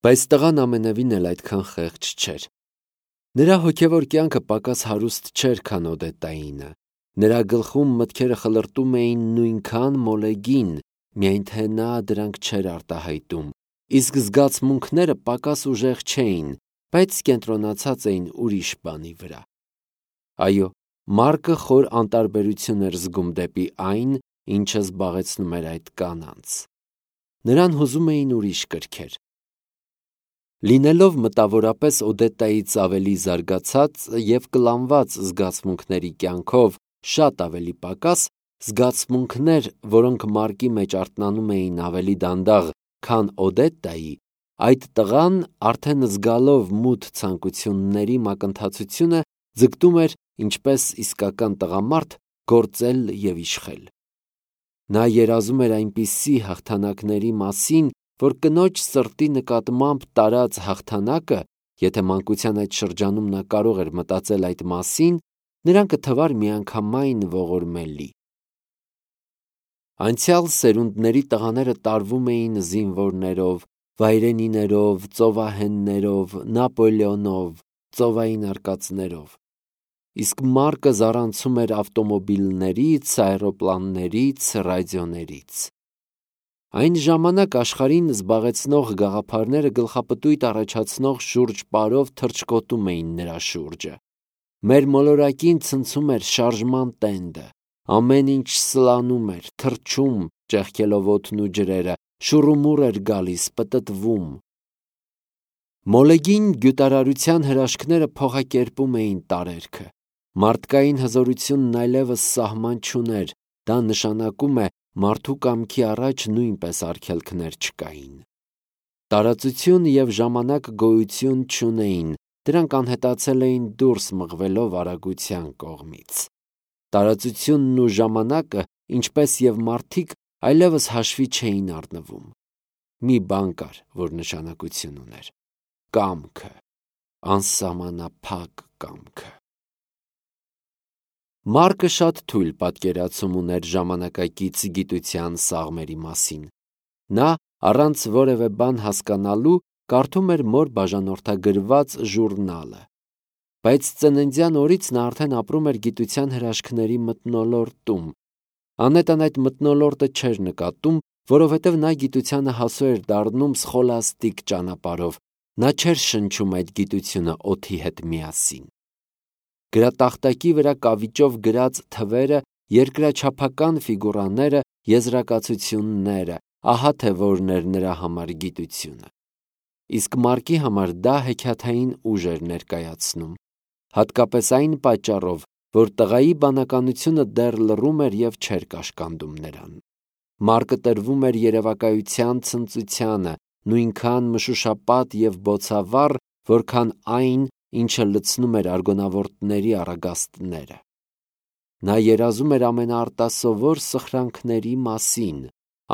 Բայց տղան ամենևին էլ այդքան խեղճ չէր։ Նրա հոգևոր կյանքը պակաս հարուստ չէր, քան Օդետայինը։ Նրա գլխում մտքերը խլրտում էին նույնքան մոլեգին, միայն թե նա դրանք չէր արտահայտում, իսկ զգացմունքները պակաս ուժեղ չէին, բայց կենտրոնացած էին ուրիշ բանի վրա։ Այո, Մարկը խոր անտարբերություն էր զգում դեպի այն, ինչը զբաղեցնում էր այդ կանանց։ Նրան հուզում էին ուրիշ կրքեր։ Լինելով մտավորապես Օդետայից ավելի զարգացած և կլանված զգացմունքների կյանքով շատ ավելի պակաս, զգացմունքներ, որոնք Մարկի մեջ արթնանում էին ավելի դանդաղ, քան Օդետայի, այդ տղան, արդեն զգալով մութ ցանկությունների մակընթացությունը, ձգտում էր, ինչպես իսկական տղամարդ, գործել և իշխել։ Նա երազում էր այնպիսի հաղթանակների մասին, որ կնոջ սրտի նկատմամբ տարած հաղթանակը, եթե մանկության այդ շրջանում նա կարող էր մտածել այդ մասին, նրան կթվար միանգամայն ողորմելի։ Անցյալ սերունդների տղաները տարվում էին զինվորներով, վայրենիներով, ծովահեններով, Նապոլեոնով, ծովային արկածներով։ Իսկ Մարկը զառանցում էր ավտոմոբիլներից, աերոպլաններից, ռադիոներից։ Այն ժամանակ աշխարհին զբաղեցնող գաղափարները գլխապտույտ առաջացնող շուրջպարով թռչկոտում էին նրա շուրջը։ Մեր մոլորակին ցնցում էր շարժման տենդը, ամեն ինչ սլանում էր, թռչում, ճեղքելով օդն ու ջրերը, շուռումուռ էր գալիս, պտտվում։ Մոլեգին գյուտարարության հրաշքները փոխակերպում էին տարերքը։ Մարդկային հզորությունն այլևս սահման չուներ, դա նշանակում է մարդու կամքի առաջ նույնպես արգելքներ չկային։ Տարածություն և ժամանակ գոյություն չունեին, դրանք անհետացել էին դուրս մղվելով արագության կողմից։ Տարածությունն ու ժամանակը, ինչպես և մարդիկ, այլևս հաշվի չէին առնվում։ Մի բան կար, որ նշանակություն ուներ՝ կամքը, անսահմանափակ կամքը։ Մարկը շատ թույլ պատկերացում ուներ ժամանակակից գիտության սաղմերի մասին։ Նա, առանց որևէ բան հասկանալու, կարդում էր մոր բաժանորդագրված ժուրնալը։ Բայց ծննդյան օրից նա արդեն ապրում էր գիտության հրաշքների մթնոլորտում։ Անետան այդ մթնոլորտը չէր նկատում, որովհետև նա գիտությանը հասու էր դառնում սխոլաստիկ ճանապարհով, նա չէր շնչում այդ գիտությունը օդի հետ միասին։ Գրատախտակի վրա կավիճով գրած թվերը, երկրաչափական ֆիգուրաները, եզրակացությունները, ահա թե որն էր նրա համար գիտությունը։ Իսկ Մարկի համար դա հեքիաթային ուժ էր ներկայացնում, հատկապես այն պատճառով, որ տղայի բանականությունը դեռ լռում էր և չէր կաշկանդում նրան։ Մարկը տրվում էր երևակայության ցնծությանը, նույնքան մշուշապատ և բոցավառ, որքան այն, ինչը լցնում էր արգոնավորդների առագաստները։ Նա երազում էր ամենաարտասովոր սխրանքների մասին՝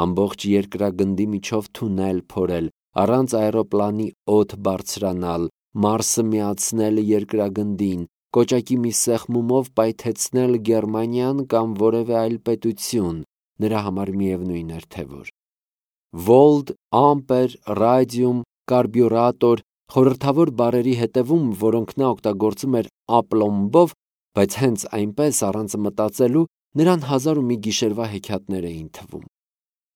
ամբողջ երկրագնդի միջով թունել փորել, առանց աերոպլանի օդ բարձրանալ, Մարսը միացնել երկրագնդին, կոճակի մի սեղմումով պայթեցնել Գերմանիան կամ որևէ այլ պետություն, նրա համար միևնույն էր թե որ։ Վոլտ, ամպեր, ռադիում, կարբյուրատոր, խորհրդավոր բառերի հետևում, որոնք նա օգտագործում էր ապլոմբով, բայց հենց այնպես առանց մտածելու, նրան հազար ու մի գիշերվա հեքիաթներ էին թվում։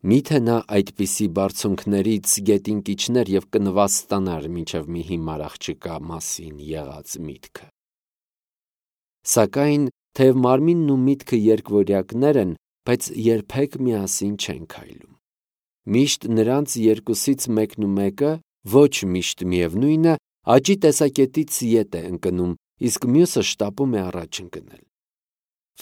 Միթե նա այդպիսի բարձունքներից գետին կիջներ և կնվաստանար մինչև մի հիմար աղջկա մասին եղած միտքը։ Սակայն, թեև մարմինն ու միտքը երկվորյակներ են, բայց երբեք միասին չեն քայլում։ Միշտ նրանց երկուսից մեկն ու մեկը, ոչ միշտ միևնույնը, աճի տեսակետից ետ է ընկնում, իսկ մյուսը շտապում է առաջ ընկնել։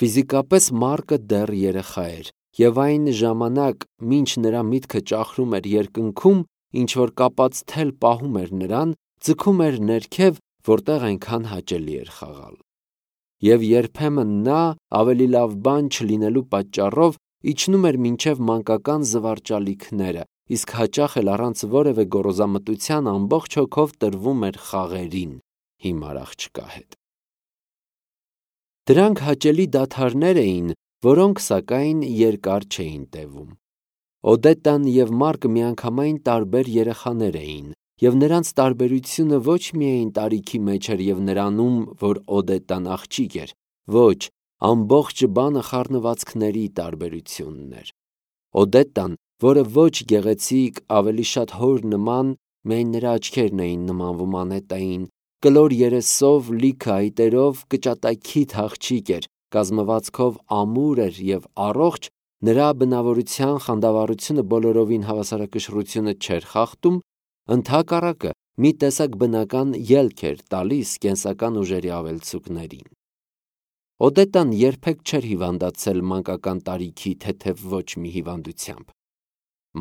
Ֆիզիկապես Մարկը դեռ երեխա էր, և այն ժամանակ, մինչ նրա միտքը ճախրում էր երկնքում, ինչ-որ կապած թել պահում էր նրան, ձգում էր ներքև, որտեղ այնքան հաճելի էր խաղալ։ Եվ երբեմն նա, ավելի լավ բան չլինելու պատճառով, իջնում էր մինչև մանկական զվարճալիքները, իսկ հաճախ էլ առանց որևէ գոռոզամտության ամբողջ հոգով տրվում էր խաղերին հիմար աղջկա հետ։ Դրանք հաճելի դադարներ էին, որոնք, սակայն, երկար չէին տևում։ Օդետան և Մարկը միանգամայն տարբեր երեխաներ էին, և նրանց տարբերությունը ոչ միայն տարիքի մեջ էր և նրանում, որ Օդետան աղջիկ էր, ոչ, ամբողջ բանը խառնվածքների տարբերությունն էր։ Օդետան, որը ոչ գեղեցիկ, ավելի շատ հոր նման, միայն նրա աչքերն էին նմանվում անետային, կլոր երեսով, լիքը այտերով, կճատակիթ աղջիկ էր, կազմվածքով ամուր էր և առողջ, նրա բնավորության խանդավառությունը բոլորովին հավասարակշռությունը չէր խախտում, ընդհակառակը մի տեսակ բնական ելք էր տալիս կենսական ուժերի ավելցուկներին։ Օդետան երբեք չէր հիվանդացել մանկական տարիքի թեթև ոչ մի հիվանդությամբ։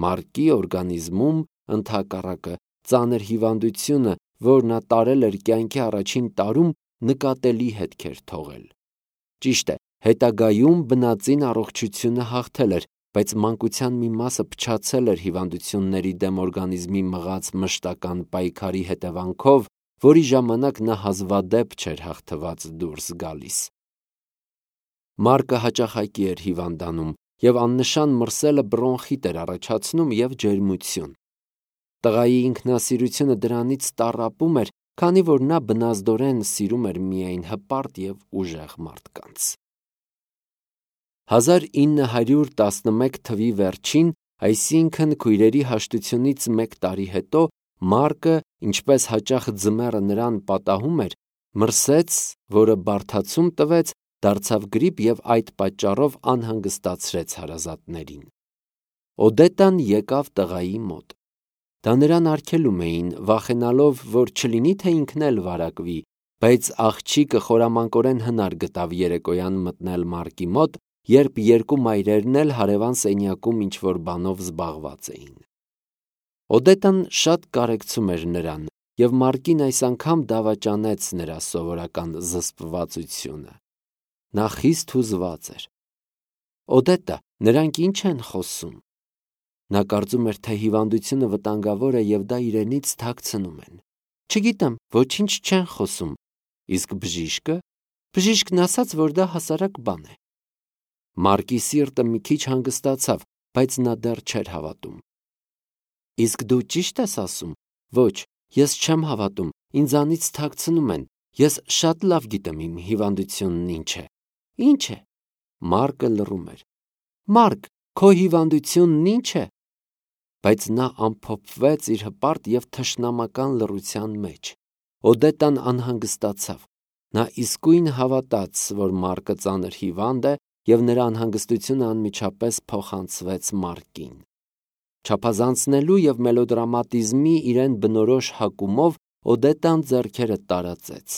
Մարկի օրգանիզմում, ընդհակառակը, ծանր հիվանդությունը, որ նա տարել էր կյանքի առաջին տարում, նկատելի հետքեր թողել։ Ճիշտ է, հետագայում բնածին առողջությունը հաղթել էր, բայց մանկության մի մասը փչացել էր հիվանդությունների դեմ օրգանիզմի մղած մշտական պայքարի հետևանքով, որի ժամանակ նա հազվադեպ չէր հաղթված դուրս գալիս։ Մարկը հաճախակի էր հիվանդանում, և աննշան մրսելը բրոնխիտ էր առաջացնում և ջերմություն։ Տղայի ինքնասիրությունը դրանից տառապում էր, քանի որ նա բնազդորեն սիրում էր միայն հպարտ և ուժեղ մարդկանց։ 1911 թվականի վերջին, այսինքն քույրերի հաշտությունից մեկ տարի հետո, Մարկը, ինչպես հաճախ ձմեռը նրան պատահում էր, մրսեց, որը բարդացում տվեց, դարձավ գրիպ և այդ պատճառով անհանգստացրեց հարազատներին։ Օդետան եկավ տղայի մոտ։ Դա նրան արգելում էին, վախենալով, որ չլինի թե ինքն էլ վարակվի, բայց աղջիկը խորամանկորեն հնար գտավ երեկոյան մտնել Մարկի մոտ, երբ երկու մայրերն էլ հարևան սենյակում ինչ-որ բանով զբաղված էին։ Օդետան շատ կարեկցում էր նրան, և Մարկին այս անգամ դավաճանեց նրա սովորական զսպվածությունը։ Նա խիստ հուզված էր։ Օդետա, նրանք ի՞նչ են խոսում։ Նա կարծում էր, թե հիվանդությունը վտանգավոր է և դա իրենից թաքցնում են։ Չգիտեմ, ոչինչ չեն խոսում։ Իսկ բժիշկը։ Բժիշկն ասաց, որ դա հասարակ բան է։ Մարկի սիրտը մի քիչ հանգստացավ, բայց նա դեռ չէր հավատում։ Իսկ դու ճի՞շտ ես ասում։ Ոչ, ես չեմ հավատում, ինձանից թաքցնում են։ Ես շատ լավ գիտեմ իմ հիվանդությունն ինչ է։ Ինչ է։ Մարկը լռում էր։ Մարկ, քո հիվանդությունն ինչ է։ Բայց նա ամփոփվեց իր հպարտ և թշնամական լռության մեջ։ Օդետան անհանգստացավ։ Նա իսկույն հավատաց, որ Մարկը ծանր հիվանդ է, և նրա անհանգստությունը անմիջապես փոխանցվեց Մարկին։ Չափազանցնելու և մելոդրամատիզմի իրեն բնորոշ հակումով Օդետան ձեռքերը տարածեց։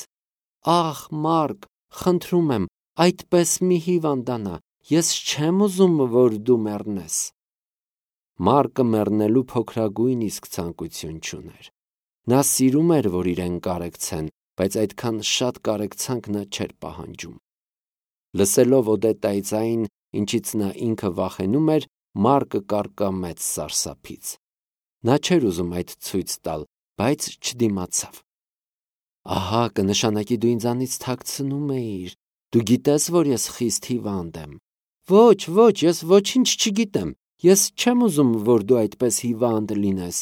Ախ, Մարկ, խնդրում եմ, այդպես մի հիվանդանա, ես չեմ ուզում, որ դու մեռնես։ Մարկը մեռնելու փոքրագույն իսկ ցանկություն չուներ։ Նա սիրում էր, որ իրեն կարեկցեն, բայց այդքան շատ կարեկցանք նա չէր պահանջում։ Լսելով Օդետայի ձայն, ինչից նա ինքը վախենում էր, Մարկը կարկամեց սարսափից։ Նա չէր ուզում այդ ցույց տալ, բայց չդիմացավ։ Ահա, կնշանակի դու ինձանից թաքցնում էիր։ Դու գիտես, որ ես խիստ հիվանդ եմ։ Ոչ, ոչ, ես ոչինչ չգիտեմ։ Ես չեմ ուզում, որ դու այդպես հիվանդ լինես։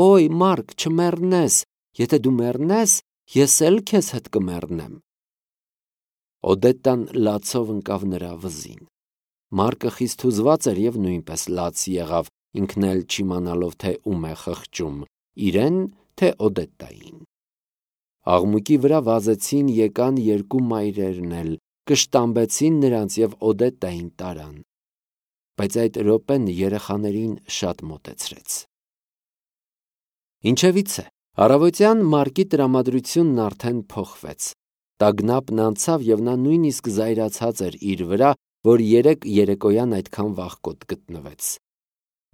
Օй, Մարկ, չմեռնես։ Եթե դու մեռնես, ես էլ քեզ հետ կմեռնեմ։ Օդետան լացով ընկավ նրա վզին։ Մարկը խիստ հուզված էր և նույնպես լաց եղավ, ինքն էլ չիմանալով, թե ում է խղճում՝ իրեն, թե Օդետային։ Աղմուկի վրա վազեցին եկան երկու մայրերն էլ, կշտամբեցին նրանց և Օդետային տարան։ Բայց այդ րոպեն երեխաներին շատ մոտեցրեց։ Ինչևիցե, առավոտյան Մարկի տրամադրությունն արդեն փոխվեց։ Տագնապն անցավ և նա նույնիսկ զայրացած էր իր վրա, որ երեկոյան այդքան վաղկոտ գտնվեց։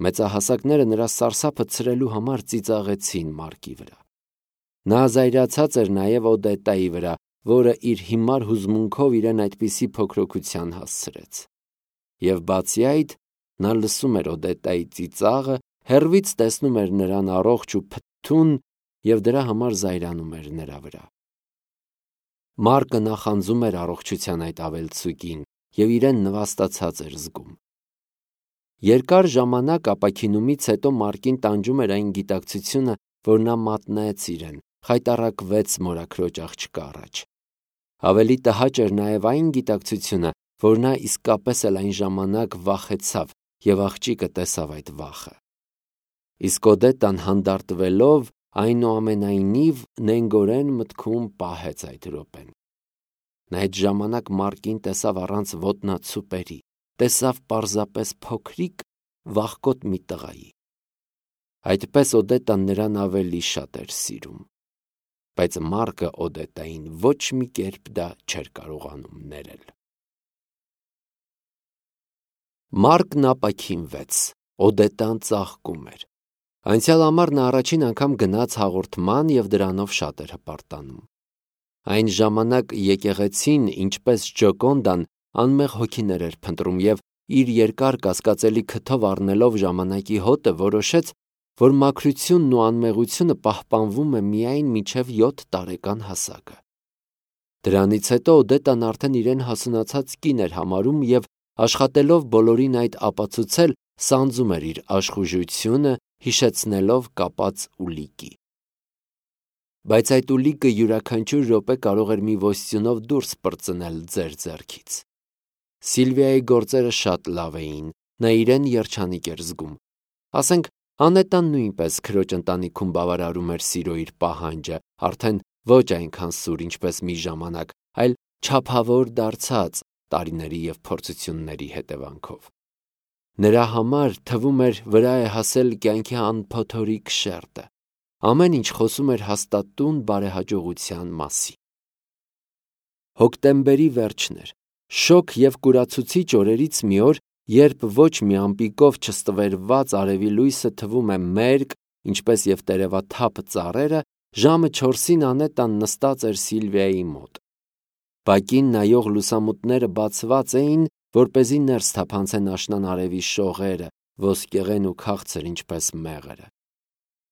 Մեծահասակները նրա սարսափը ցրելու համար ծիծաղեցին Մարկի վրա։ Նա զայրացած էր նաև Օդետայի վրա, որը իր հիմար հուզմունքով իրեն այդպիսի փոքրոքության հասցրեց։ Եվ բացի այդ, նա լսում էր Օդետայի ծիծաղը, հեռվից տեսնում էր նրան առողջ ու փթթուն և դրա համար զայրանում էր նրա վրա։ Մարկը նախանձում էր առողջության այդ ավելցուկին և իրեն նվաստացած էր զգում։ Երկար ժամանակ ապաքինումից հետո Մարկին տանջում էր այն գիտակցությունը, որ նա մատնեց իրեն, խայտառակվեց մորաքրոջ աղջկա առաջ։ Ավելի տհաճ էր նաև այն գիտակցությունը, որ նա իսկապես էլ այն ժամանակ վախեցավ և աղջիկը տեսավ այդ վախը։ Իսկ Օդետան հանդարտվելով, այնուամենայնիվ նենգորեն մտքում պահեց այդ րոպեն։ Նա այդ ժամանակ Մարկին տեսավ առանց ոտնացուպերի, տեսավ պարզապես փոքրիկ, վախկոտ մի տղայի։ Այդպես Օդետան նրան ավելի շատ էր սիրում, բայց Մարկը Օդետային ոչ մի կերպ դա չէր կարողանում ներել։ Մարկն ապաքինվեց, Օդետան ծաղկում էր։ Անցյալ ամառ նա առաջին անգամ գնաց հաղորդման և դրանով շատ էր հպարտանում։ Այն ժամանակ եկեղեցին, ինչպես Ջոկոնդան, անմեղ հոգիներ էր փնտրում և իր երկար կասկածելի քթով առնելով ժամանակի հոտը, որոշեց, որ մաքրությունն ու անմեղությունը պահպանվում է միայն մինչև 7 տարեկան հասակը։ Դրանից հետո Օդետան արդեն իրեն հասունացած կին էր համարում և աշխատելով բոլորին այդ ապացուցել, սանձում էր իր աշխուժությունը, հիշեցնելով կապած ուլիկի։ Բայց այդ ուլիկը յուրաքանչյուր րոպե կարող էր մի ոստյունով դուրս պրծնել ձեր ձեռքից։ Սիլվիայի գործերը շատ լավ էին, նա իրեն երջանիկ էր զգում։ Ասենք, Անետան նույնպես քրոջ ընտանիքում բավարարում էր սիրո իր պահանջը, արդեն ոչ այնքան սուր, ինչպես մի ժամանակ, այլ չափավոր դարձած տարիների և փորձությունների հետևանքով։ Նրա համար թվում էր վրա է հասել կյանքի անփոթորիկ շերտը։ Ամեն ինչ խոսում էր հաստատուն բարեհաջողության մասին։ Հոկտեմբերի վերջն էր, շոգ և կուրացուցիչ օրերից մի օր, երբ ոչ մի ամպիկով չստվերված արևի լույսը թվում է մերկ, ինչպես և տերևաթափ ծառերը, ժամը 4-ին Անետան նստած էր Սիլվիայի մոտ։ Բակին նայող լուսամուտները բացված էին, որպեսզի ներս թափանցեն աշնան արևի շողերը, ոսկեղեն ու քաղցր, ինչպես մեղրը։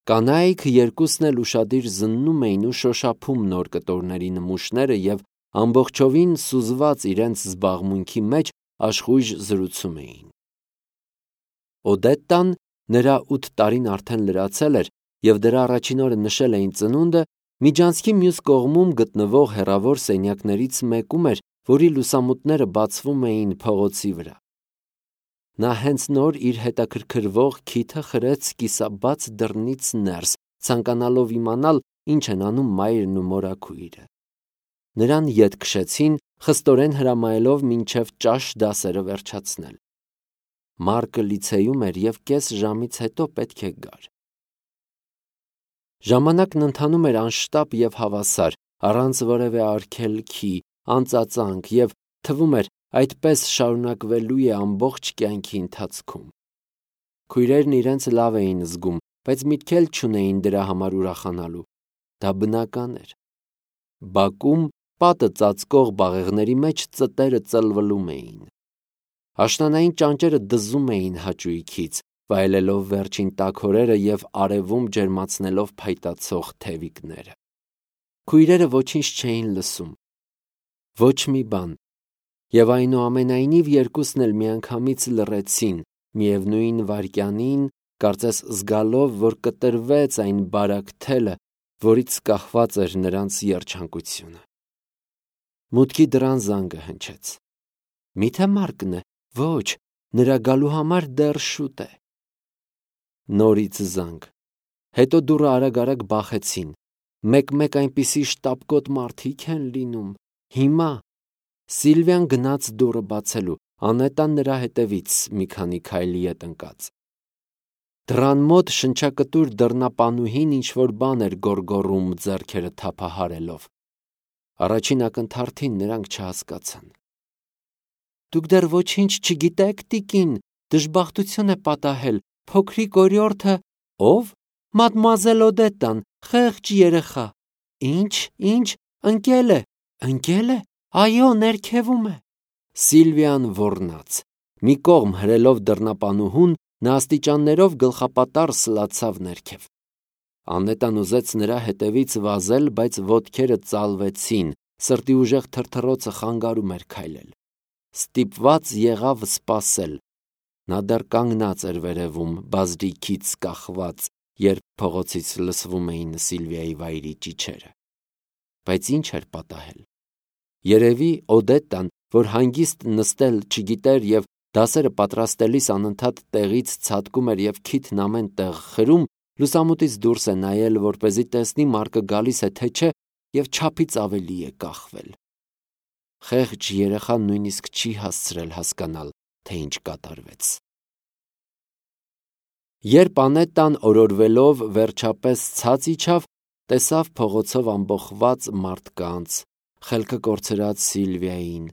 Կանայք երկուսն էլ ուշադիր զննում էին ու շոշափում նոր կտորների նմուշները և ամբողջովին սուզված իրենց զբաղմունքի մեջ աշխույժ զրուցում էին։ Օդետան, նրա 8 տարին արդեն լրացել էր և դրա առաջին օրը նշել էին ծնունդը, միջանցքի մյուս կողմում գտնվող հեռավոր սենյակներից մեկում էր, որի լուսամուտները բացվում էին փողոցի վրա։ Նա հենց նոր իր հետաքրքրվող քիթը խրեց կիսաբաց դռնից ներս, ցանկանալով իմանալ, ինչ են անում մայրն ու մորաքույրը։ Նրան ետ քշեցին, խստորեն հրամայելով մինչև ճաշ դասերը վերջացնել։ Մարկը լիցեյում էր և կես ժամից հետո պետք է գար։ Ժամանակն ընթանում էր անշտապ և հավասար, առանց որևէ արգելքի, անծածանք և թվում էր այդպես շարունակվելու է ամբողջ կյանքի ընթացքում։ Քույրերն իրենց լավ էին զգում, բայց միտք էլ չունեին դրա համար ուրախանալու։ Դա բնական էր։ Բակում պատը ծածկող բաղեղների մեջ ծտերը ծլվլում էին։ Աշնանային ճանճերը դզում էին հաճույքից, վայելելով վերջին տաք օրերը և արևում ջերմացնելով փայտացող թևիկները։ Քույրերը ոչինչ չէին լսում։ Ոչ մի բան։ Եվ այնուամենայնիվ երկուսն էլ միանգամից լռեցին, միևնույն վայրկյանին, կարծես զգալով, որ կտրվեց այն բարակ թելը, որից կախված էր նրանց երջանկությունը։ Մուտքի դռան զանգը հնչեց։ Միթե Մարկն է։ Ոչ, նրա գալու համար դեռ շուտ է։ Նորից զանգ։ Հետո դուռը արագ-արագ բախեցին։ Մեկ-մեկ այնպիսի շտապկոտ մարդիկ են լինում։ Հիմա Սիլվիան գնաց դուռը բացելու, Անետան նրա հետևից մի քանի քայլի ետ ընկած։ Դռան մոտ շնչակտուր դռնապանուհին ինչ-որ բան էր գոռգոռում ձեռքերը թափահարելով։ Առաջին ակնթարթին նրանք չհասկացան։ Դուք դեռ ոչինչ չգիտեք, տիկին, դժբախտություն է պատահել, փոքրիկ օրիորդը։ Ո՞վ։ Մադմուազել Օդետան, խեղճ երեխա։ Ինչ, ընկել է։ Ընկել է։ Այո, ներքևում է։ Սիլվիան ոռնաց։ Մի կողմ հրելով դռնապանուհուն, նա աստիճաններով գլխապատառ սլացավ ներքև։ Անետան ուզեց նրա հետևից վազել, բայց ոտքերը ծալվեցին, սրտի ուժեղ թրթռոցը խանգարում էր քայլել։ Ստիպված եղավ սպասել։ Նա դեռ կանգնած էր վերևում, բազրիքից կախված, երբ փողոցից լսվում էին Սիլվիայի վայրի ճիչերը։ Բայց ինչ էր պատահել։ Երևի Օդետտան, որ հանգիստ նստել չգիտեր եւ դասերը պատրաստելիս անընդհատ տեղից ցատկում էր եւ քիթն ամեն տեղ խրում, լուսամուտից դուրս է նայել, որպեսզի տեսնի Մարկը գալիս է թե չէ, եւ չափից ավելի է կախվել։ Խեղճ երեխան նույնիսկ չի հասցրել հասկանալ, թե ինչ կատարվեց։ Երբ Անետտան օրորվելով վերջապես ցած իջավ, տեսավ փողոցով ամբողջված մարդկանց, խելքը կորցրած Սիլվիային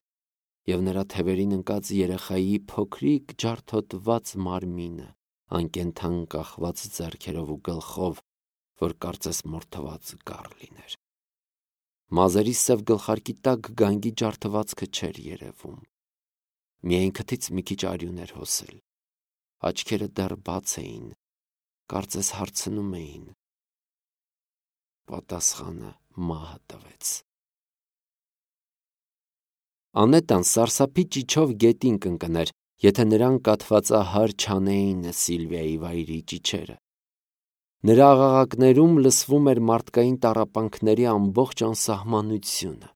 եւ նրա թևերին ընկած երեխայի փոքրիկ ջարդոտված մարմինը, անկենդան կախված ձեռքերով ու գլխով, որ կարծես մորթված գառ լիներ։ Մազերի սև գլխարկի տակ գանգի ջարդվածքը չէր երևում։ Միայն քթից մի քիչ արյուն էր հոսել։ Աչքերը դեռ բաց էին, կարծես հարցնում էին։ Պատասխանը մահը տվեց։ Անետտան սարսափի ճիչով գետին կընկներ, եթե նրան կաթվածահար չանեին Սիլվիայի վայրի ճիչերը։ Նրա աղաղակներում լսվում էր մարդկային տառապանքների ամբողջ անսահմանությունը։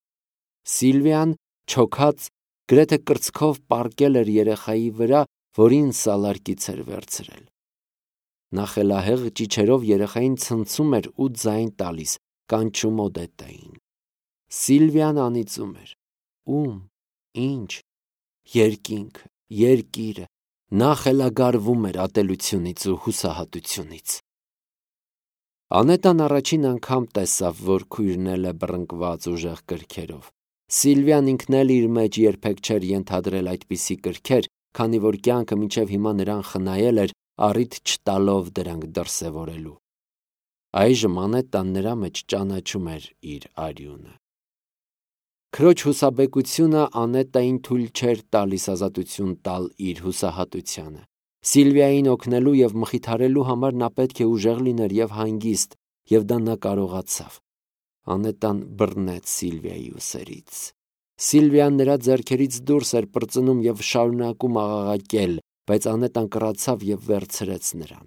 Սիլվիան, չոքած, գրեթե կրծքով պառկել էր երեխայի վրա, որին սալարկից էր վերցրել։ Նա խելահեղ ճիչերով երեխային ցնցում էր ու ձայն տալիս, կանչում Օդետտային։ Սիլվիան անիծում էր. Ում, ինչ, երկինքը, երկիրը։ Նա խելագարվում էր ատելությունից ու հուսահատությունից։ Անետտան առաջին անգամ տեսավ, որ քույրն էլ է բռնկված ուժեղ կրքերով։ Սիլվիան ինքն էլ իր մեջ երբեք չէր ենթադրել այդպիսի կրքեր, քանի որ կյանքը մինչև հիմա նրան խնայել էր, առիթ չտալով դրանք դրսևորելու։ Այժմ Անետտան նրա մեջ ճանաչում էր իր արյունը։ Քրոջ հուսաբեկությունը Անետտային թույլ չէր տալիս ազատություն տալ իր հուսահատությանը։ Սիլվիային օգնելու եւ մխիթարելու համար նա պետք է ուժեղ լիներ եւ հանգիստ, եւ դա նա կարողացավ։ Անետտան բռնեց Սիլվիայի ուսերից։ Սիլվիան նրա ձեռքերից դուրս էր պրծնում եւ շարունակում աղաղակել, բայց Անետտան կռացավ եւ վերցրեց նրան։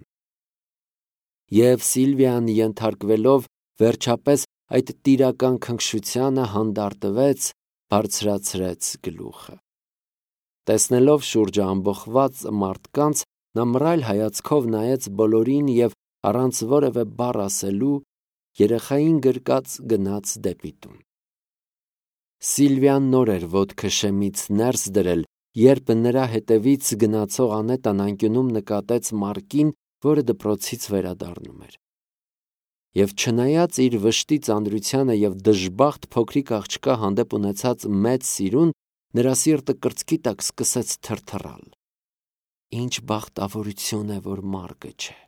Եվ Սիլվիան ենթարկվելով վերջապես այդ տիրական քնքշությանը հանդարտվեց, բարձրացրեց գլուխը։ Տեսնելով շուրջը ամբողջված մարդկանց, նա մռայլ հայացքով նայեց բոլորին եւ առանց որևէ բառ ասելու երեխային գրկած գնաց դեպի տուն։ Սիլվիան նոր էր ոտքը շեմից ներս դրել, երբ նրա հետևից գնացող Անետտան անկյունում նկատեց Մարկին, որը դպրոցից վերադառնում էր։ Եվ չնայած իր վշտի ծանրությանը եւ դժբախտ փոքրիկ աղջկա հանդեպ ունեցած մեծ սիրուն, նրա սիրտը կրծքի տակ սկսեց թրթռալ։ Ինչ բախտավորություն է, որ Մարկը չէ։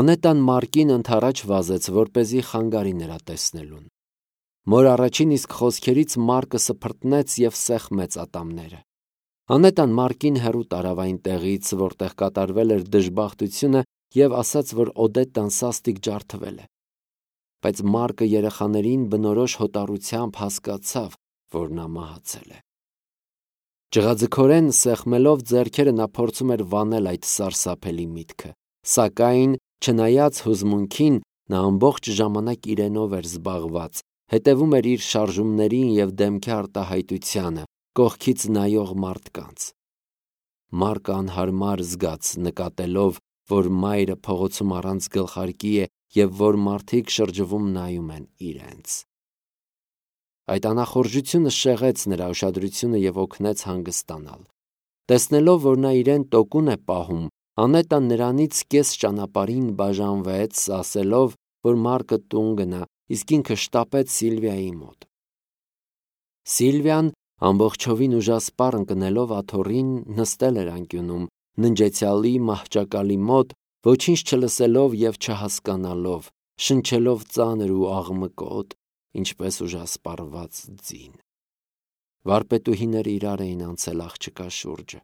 Անետտան Մարկին ընդառաջ վազեց, որպեսզի խանգարի նրա տեսնելուն։ Մոր առաջին իսկ խոսքերից Մարկը սփռտնեց եւ սեղմեց ատամները։ Անետտան Մարկին հեռու տարավ այն տեղից, որտեղ կատարվել էր դժբախտությունը, եւ ասաց, որ Օդետտան սաստիկ ջարդվել է։ Բայց Մարկը երեխաներին բնորոշ հոտառությամբ հասկացավ, որ նա մահացել է։ Ջղաձգորեն սեղմելով ձեռքերը նա փորձում էր վանել այդ սարսափելի միտքը, սակայն չնայած հուզմունքին նա ամբողջ ժամանակ իրենով էր զբաղված, հետևում էր իր շարժումներին եւ դեմքի արտահայտությանը, կողքից նայող մարդկանց։ Մարկը անհարմար զգաց նկատելով, որ մայրը փողոցում առանց գլխարկի է եւ որ մարդիկ շրջվում նայում են իրենց։ Այդ անախորժությունը շեղեց նրա ուշադրությունը եւ օգնեց հանգստանալ։ Տեսնելով, որ նա իրեն տոկուն է պահում, Անետտան նրանից կես ճանապարհին բաժանվեց, ասելով, որ Մարկը տուն գնա, իսկ ինքը շտապեց Սիլվիայի մոտ։ Սիլվիան ամբողջովին ուժասպառ ընկնելով աթոռին նստել էր անկյունում, ննջեցյալի մահճակալի մոտ, ոչինչ չլսելով եւ չհասկանալով, շնչելով ծանր ու աղմկոտ, ինչպես ուժասպառված ձին։ Վարպետուհիները իրար էին անցել աղջկա շուրջը։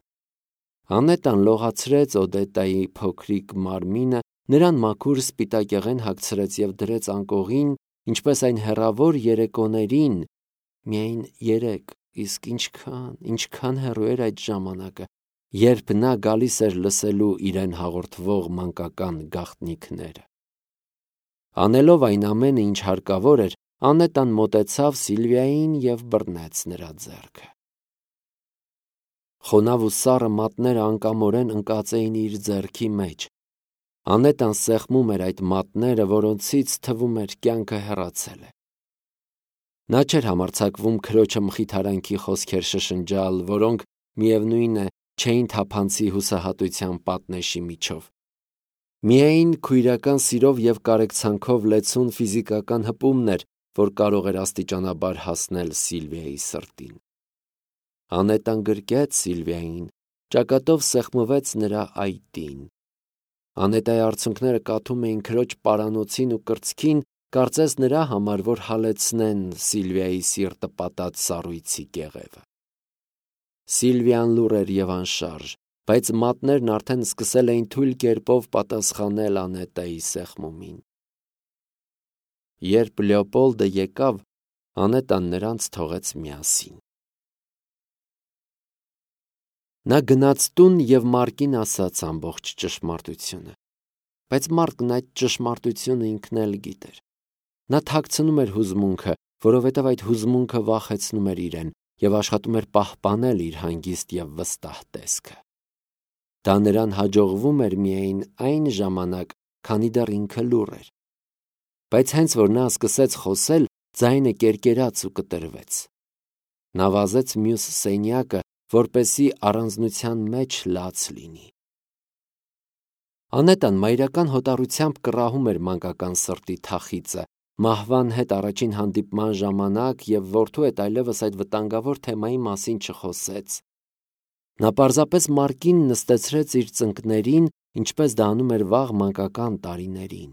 Անետտան լողացրեց Օդետտայի փոքրիկ մարմինը, նրան մաքուր սպիտակեղեն հագցրեց եւ դրեց անկողին, ինչպես այն հեռավոր երեկոներին, միայն 3, իսկ ինչքան հեռու էր այդ ժամանակը, երբ նա գալիս էր լսելու իրեն հաղորդվող մանկական գաղտնիքները։ Անելով այն ամենը, ինչ հարկավոր էր, Անետան մոտեցավ Սիլվիային և բռնեց նրա ձեռքը։ Խոնավ ու սառը մատները անկամորեն ընկած էին իր ձեռքի մեջ։ Անետան սեղմում էր այդ մատները, որոնցից թվում էր կյանքը հեռացել է։ Նա չէր համարձակվում քրոջը մխիթարանքի խոսքեր շշնջալ, որոնք, միևնույն է, չէին թափանցի հուսահատության պատնեշի միջով։ Միայն քույրական սիրով և կարեկցանքով լեցուն ֆիզիկական հպումն էր, որ կարող էր աստիճանաբար հասնել Սիլվիայի սրտին։ Անետան գրկեց Սիլվիային, ճակատով սեղմվեց նրա այտին։ Անետայի արցունքները կաթում էին քրոջ պարանոցին ու կրծքին, կարծես նրա համար, որ հալեցնեն Սիլվիայի սիրտը պատած սառույցի կեղևը։ Սիլվիան լուռ էր և անշարժ, բայց մատներն արդեն սկսել էին թույլ կերպով պատասխանել Անետայի սեղմումին։ Երբ Լեոպոլդը եկավ, Անետան նրանց թողեց միասին։ Նա գնաց տուն և Մարկին ասաց ամբողջ ճշմարտությունը։ Բայց Մարկն այդ ճշմարտությունը ինքն էլ գիտեր։ Նա թաքցնում էր հուզմունքը, որովհետև այդ հուզմունքը վախեցնում էր իրեն և աշխատում էր պահպանել իր հանգիստ և վստահ տեսքը։ Դա նրան հաջողվում էր միայն այն ժամանակ, քանի դեռ ինքը լուռ էր։ Բայց հենց որ նա սկսեց խոսել, ձայնը կերկերաց ու կտրվեց։ Նա վազեց մյուս սենյակը, որպեսզի առանձնության մեջ լաց լինի։ Անետան մայրական հոտառությամբ կռահում էր մանկական սրտի թախիծը, մահվան հետ առաջին հանդիպման ժամանակ և որդու հետ այլևս այդ վտանգավոր թեմայի մասին չխոսեց։ Նա պարզապես Մարկին նստեցրեց իր ծնկներին, ինչպես դա անում էր վաղ մանկական տարիներին։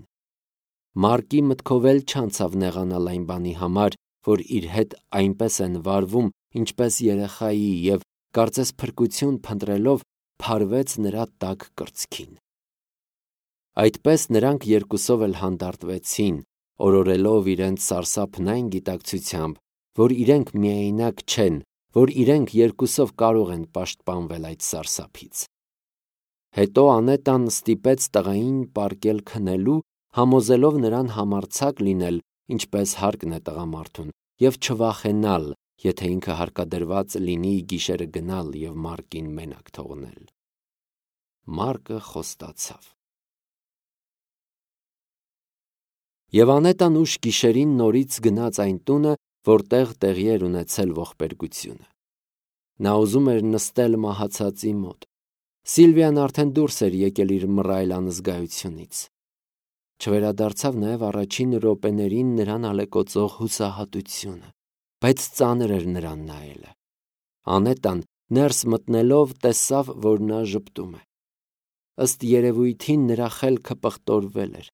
Մարկի մտքով էլ չանցավ նեղանալ այն բանի համար, որ իր հետ այնպես են վարվում, ինչպես երեխայի, և կարծես փրկություն փնտրելով փարվեց նրա տաք կրծքին։ Այդպես նրանք երկուսով էլ հանդարտվեցին, օրորելով իրենց սարսափն այն գիտակցությամբ, որ իրենք միայնակ չեն, որ իրենք երկուսով կարող են պաշտպանվել այդ սարսափից։ Հետո Անետան ստիպեց տղային պառկել քնելու, համոզելով նրան համարձակ լինել, ինչպես հարկն է տղամարդուն, և չվախենալ, եթե ինքը հարկադրված լինի գիշերը գնալ և Մարկին մենակ թողնել։ Մարկը խոստացավ։ Եվ Անետան ուշ գիշերին նորից գնաց այն տունը, որտեղ տեղի էր ունեցել ողբերգությունը։ Նա ուզում էր նստել մահացածի մոտ։ Սիլվիան արդեն դուրս էր եկել իր մռայլ անզգայությունից։ Չվերադարձավ նաև առաջին րոպեներին նրան ալեկոծող հուսահատությունը, բայց ծանր էր նրան նայելը։ Անետան ներս մտնելով տեսավ, որ նա ժպտում է։ Ըստ երևույթին նրա խելքը պղտորվել էր։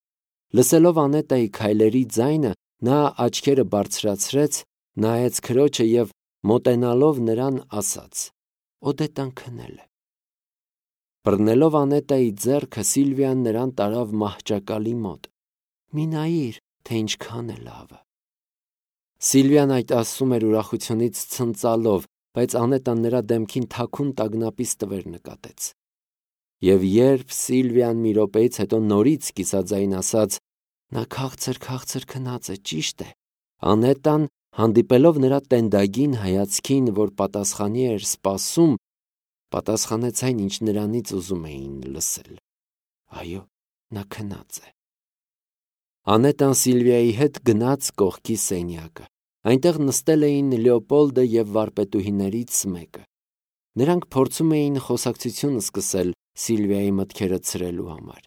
Լսելով Անետայի քայլերի ձայնը, նա աչքերը բարձրացրեց, նայեց քրոջը և մոտենալով նրան ասաց. «Օդետան քնել է»։ Բռնելով Անետայի ձեռքը, Սիլվիան նրան տարավ մահճակալի մոտ։ «Մի նայիր, թե ինչքան է լավը»։ Սիլվիան այդ ասում էր ուրախությունից ցնծալով, բայց Անետան նրա դեմքին թաքուն տագնապի ստվեր նկատեց։ Եվ երբ Սիլվիան մի րոպեից հետո նորից կիսաձայն ասաց. «Նա քաղցր քնած է, ճիշտ է», Անետան, հանդիպելով նրա տենդագին հայացքին, որ պատասխանի էր սպասում, պատասխանեց այն, ինչ նրանից ուզում էին լսել. «Այո, նա քնած է»։ Անետան Սիլվիայի հետ գնաց կողքի սենյակը։ Այնտեղ նստել էին Լեոպոլդը և վարպետուհիներից մեկը։ Նրանք փորձում էին խոսակցություն սկսել Սիլվիայի մտքերը ցրելու համար։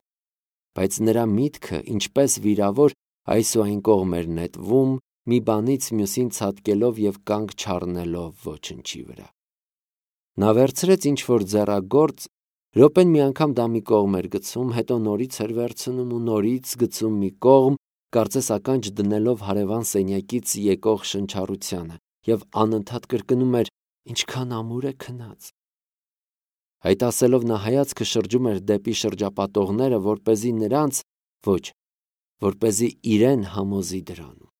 Բայց նրա միտքը, ինչպես վիրավոր, այս ու այն կողմ էր նետվում, մի բանից մյուսին ցատկելով և կանգ չառնելով ոչնչի վրա։ Նա վերցրեց ինչ-որ ձեռագործ, րոպեն մի անգամ դա մի կողմ էր գցում, հետո նորից էր վերցնում ու նորից գցում մի կողմ, կարծես ականջ դնելով հարևան սենյակից եկող շնչառությանը, և անընդհատ կրկնում էր. «Ինչքան ամուր է քնած»։ Այդ ասելով նա հայացքը շրջում էր դեպի շրջապատողները, որպեսզի նրանց, ոչ, որպեսզի իրեն համոզի դրանում։